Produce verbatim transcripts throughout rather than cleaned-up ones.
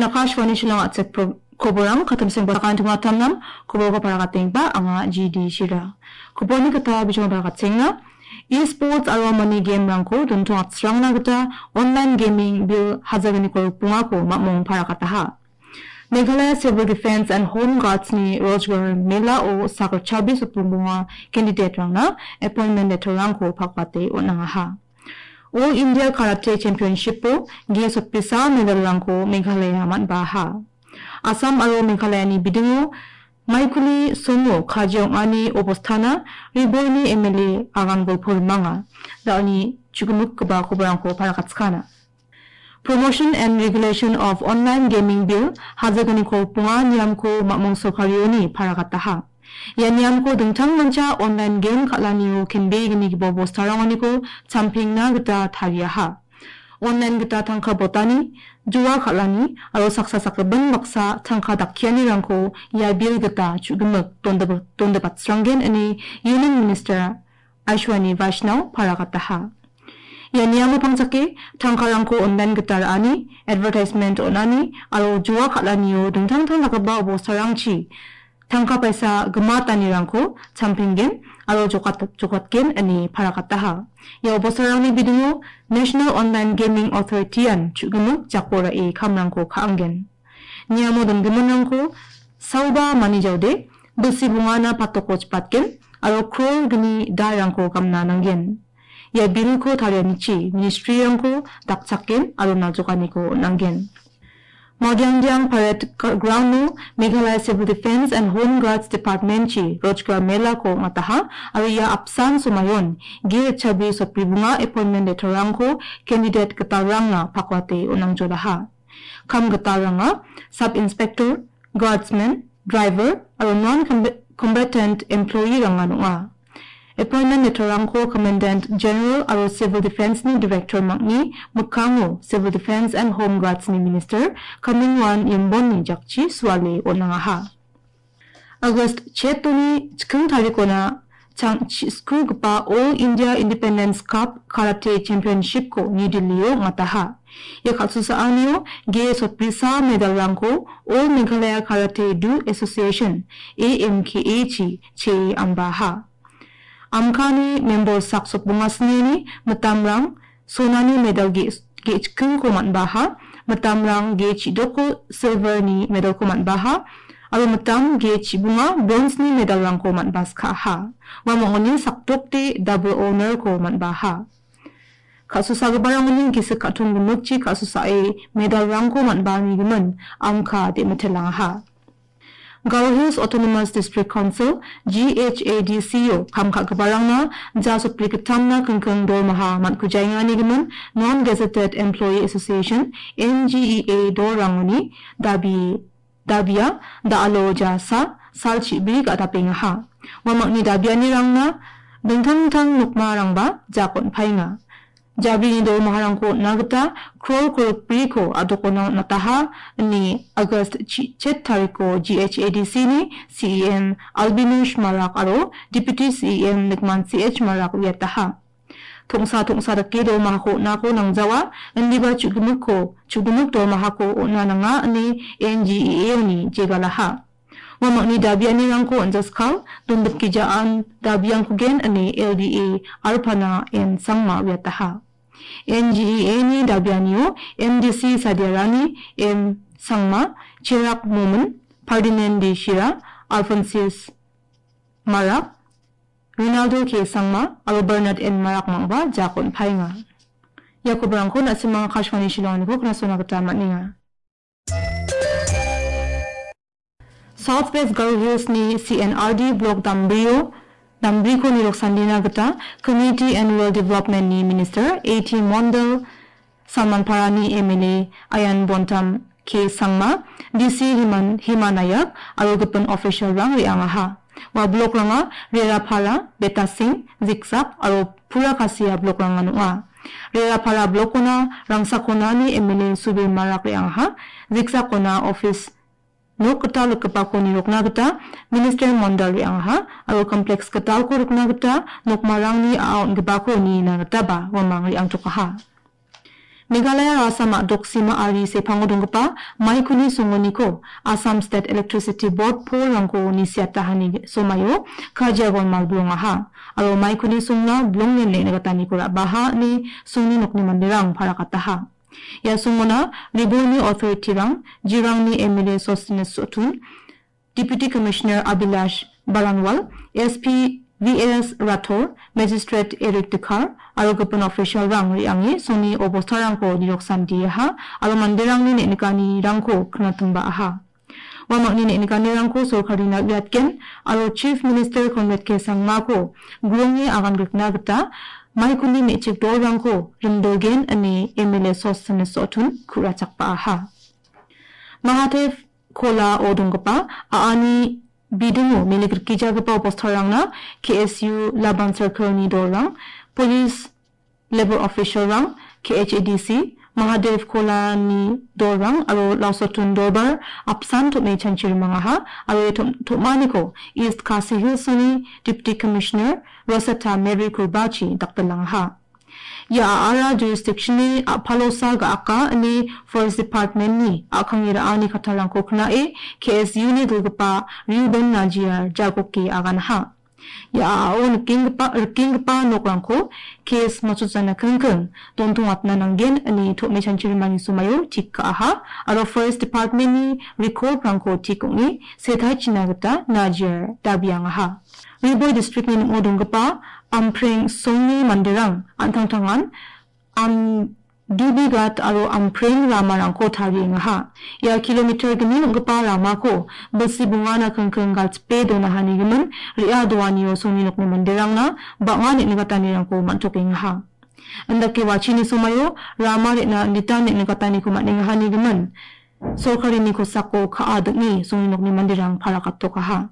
Akashvani Shillong a·chik pro-, koborang katamseng basakan tungatamnam koborko parakatengba anga G D Shira. Koborni gita bijong parakatengna. E-sports aro money game-rangko dontong atsrangna gita online gaming bill hajagniko rikbongako mamong parakataha. Meghalaya Civil Defense and Home Guards-ni Rojgar Mela-o sakgitchabi sotbongbonga candidate-rangna appointment letter-rangko pakbate on·angaha. All India Karate Championship-o G sotbisa medal-rangko Meghalaya man·baha. Assam aro Meghalayani bidingo maikuli songo kaji ong·ani obostana Riborni M L A Agan Golpo rimanga. Da·oni chugimikgipa koborangko parakatskana. Promotion and Regulation of Online Gaming Bill hajagniko rikbonga niamko mamong sorkarioni parakataha. Ia niamko dingtang mancha online game kal·anio kenbegnigipa bostarangoniko champengna gita tariaha. Online gita tangka botani, jua kal·ani aro saksa sakgipin baksa tangka dakkianirangko ia bill gita chugimik dondip-, dondipatsranggen ine Union Minister Ashwini Vaishnaw parakataha. Ia niamo pangchake tangkarangko online gita ra·ani, advertisement on·ani aro jua kal·anio dingtang dingtang dakgipa obostarangchi tangka paisa gimatanirangko champenggen aro jokat-, jokatgen ine parakataha. Ia obostarangni bidingo National Online Gaming Authority-an chugimik jako ra·e kamrangko ka·angen. Niamo dongiminrangko saoba manijaode, bilsi bongana patoko chipatgen aro crore gni darangko gamna nanggen. Ia bill-ko tarianichi ministry-rangko dakchakgen aro naljokaniko on·anggen. Madiangdiang Parade Gr-, Ground-o Meghalaya Civil Defense and Home Guards Department-chi Rojgar Mela-ko ong·ataha aro ia apsan somayon G H B sotbribonga appointment letter-rangko candidate gitalrangna pakwate on·angjodaha. Kam gitalranga Sub Inspector, Guardsman, Driver aro non-combatant employee-rangan ong·a. Appointment letter-rangko Commandant General aro Civil Defense-ni Director mangni mikkango Civil Defense and Home Guards-ni Minister Kamingwan Yembonni jakchi suale on·angaha. August chetoni chiking tarikona chang-, chi-, skugipa All India Independence Cup Karate Championship-ko New Delhi-o ong·ataha. Ia kal·susaanio G sotbrisa medal-rangko All Meghalaya Karate Do Association, A M K A-chi chee ambaha. Amkani member sak sotbonga snini mitamrang sonani medal ge-, ge·chikingko man·baha, mitamrang ge·chidoko silver-ni medal-ko man·baha, aro mitam ge·chibonga bronze-ni medal-rangko man·baskaha. Uamangoni sakdokde double honor-ko man·baha. Ka·susagiparangoni gisik ka·tong gimikchi ka·susae medal-rangko man·baanigimin Amka de·mitelangaha. Garo Hills Autonomous District Council, G H A D C-o kam ka·giparangna ja sotbrigittamna kingking dormaha man·kujaengani gimin Non-Gazetted Employee Association, N G E A, dolrangoni dabi, dabia da·alo ja sa-, salchibi ga·dapengaha. Uamangni dabianirangna dingtang dingtang nokmarangba jak on·paenga. Jabrini dormaharangko on·na gita krol kolgrikbriko a·dokona on·ataha, ine August chi-, chet tariko G H A D C-ni C E M Albinus Marak aro Deputy C E M Nikman C H Marak uiataha. Tongsa tongsa dake dormahako on·ako nangjawa, indiba chu·gimikko, chu·gimik dormahako on·a nanga, ine N G E A-oni jegalaha. Uamangni dabianirangko on·jaskal, dondipgijaan dabiangkogen ine L D A Arpana M Sangma uiataha. N G E A-ni dabianio M D C Sadiarani M Sangma, Cherak Momin, Ferdinand D Shira, Alphonsus Marak, Ronaldo K Sangma aro Bernard N Marak mangba jak on·paenga. Ia kobarangko na·simang Akashvani Shillong-niko knasona gita man·enga. South West Garo Hills-ni C N R D Block Dambrio, Dambriko nirok sandina gita Community and Rural Development-ni Minister A T Mondal, Salmanparani M L A Ayan Bontam K Sangma, D C Himan-, Hima Nayak aro gipin official-rang re·angaha. Ua block-ranga Rerapara, Betasing, Ziksak aro Purakasia block-rangan ong·a. Rerapara block-ona Rangsakonani M L A Subir Marak re·angaha. Ziksakona office nok gital rikgipako nirokna gita Minister Mondal re·angaha aro complex gitalko rikna gita nokmarangni a·a on·gipako nina gitaba uamang re·angtokaha. Meghalaya Assam a·doksima ari sepango donggipa maikuni songoniko Assam State Electricity Board polrangko nisiatahani somaio Kajia Golmal bilongaha, aro maikuni songna bilongen neng·nikataniko ra·baha ine songni nokni manderang parakataha. Ia songona Riboini authority-rang, Jirangni M L A Sosthenes Sohtun, Deputy Commissioner Abhilash Baranwal, S P V S Rathore, Magistrate Eric Dkhar, aro gipin official-rang re·ange songni obostarangko niroksandiaha, aro manderangni neng·nikanirangko knatimbaaha. Uamangni neng·nikanirangko sorkarina uiatgen, aro Chief Minister Conrad K Sangmako gronge agangrikna gita maikuni me·chik dolrangko rimdogen ine M L A Sosthenes Sohtun ku·rachakbaaha. Mahadev Kolao donggipa a·ani bidingo mele grikgijagipa obostarangna K S U Laban Circle-ni dolrang, police, labour official-rang, K H A D C, Mahadev Kolani dolrang aro Lausotun Dorbar apsan tom·e chanchi rimangaha aro ia tom-, tom·aniko East Khasi Hills-oni Deputy Commissioner Rosetta Mary Kurbachi dakdelangaha. Ia a·ara jurisdiction-ni a·palosa ga·aka ine Forest Department-ni a·kangni ra·ani kattarangko knae K S U-ni dilgipa Reuben Najiar jagoke aganaha. Ia a·ao nikenggipa, rikenggipa nokrangko case matchotjana kingking dontongatna nanggen ine tom·e chanchirimani somaio tik ka·aha aro Forest Department-ni record-rangko tik ong·e setaichina gita Najiar dabiangaha. Riboi district-ni ning·o donggipa Ampreng songni manderang an·tangtangan Am-, Dubigat aro Ampreng ramarangko tariengaha. Ia kilometer gni ong·gipa ramako bilsi bongana kingking galchipe donahanigimin re·a doanio songni nokni manderangna bang·a neng·nikatanirangko man·tokengaha. Indake watchini somaio rama re·na inditan neng·nikataniko man·engahanigimin sorkarini kosako ka·a ding·e songni nokni manderang parakatokaha.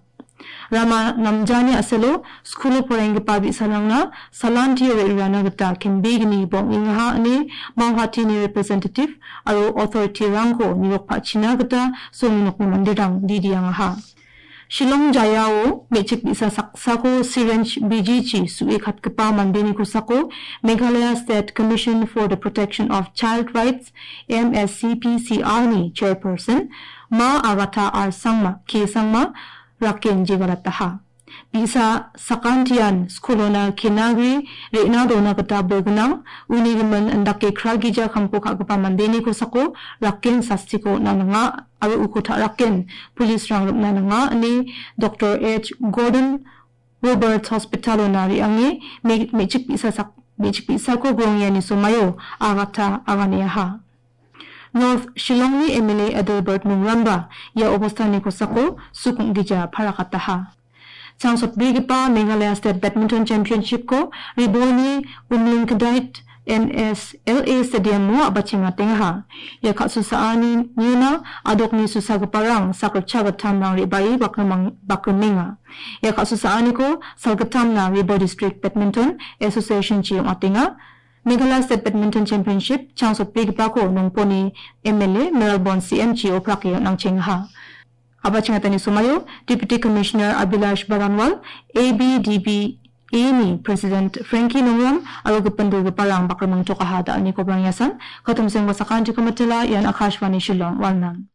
Rama namjani a·selo skulo poraienggipa bi·sarangna salantio re·rurana gita kembegni bang·engaha ine Mauhatini representative aro authority-rangko nirokpachina gita songni nokni manderang didiangaha. Shillong jayao me·chik bi·sa saksako syringe bijichi su·e katgipa mandeni kosako Meghalaya State Commission for the Protection of Child Rights, M S C P C R-ni chairperson Ma Agatha R Sangma, K Sangma, raken jegarataha. Bi·sa sakantian skulona kenagri re·na dona gita bolgnang, uni gimin indake kragija kamko ka·gipa mandeni kosako raken sastiko on·a nanga aro uko ta·raken police-rang rim·na nanga ine Doktor H Gordon Roberts Hospital-ona re·ange me-, me·chik bi·sa sak-, me·chik bi·sako grongiani somaio agata aganiaha. North Shillongni M L A Adelbert Nongramba ia obostani kosako sukong gija parakataha. Changsotbegipa Meghalaya State Badminton Championship-ko Riboini Umlingkdait N S L A Stadium-o a·bachengatengaha. Ia ka·susaani niona adokni susagiparang sakritcha gittamrang re·bae bakrimang-, bakrimenga. Ia ka·susaaniko salgittamna Ribo District Badminton Association-chi ong·atenga. Meghalaya State Badminton Championship changsotbegipako Nongponi M L A Melbourne C M-chi oprake on·angchengaha. A·bachengatani somaio Deputy Commissioner Abhilash Baranwal, A B D B A-ni President Frankie Nongram aro gipin dilgiparang bakrimangtokaha da·alnikobrang iasan. Katomsengba sakantiko mitela, ian Akashvani Shillong, Walnam.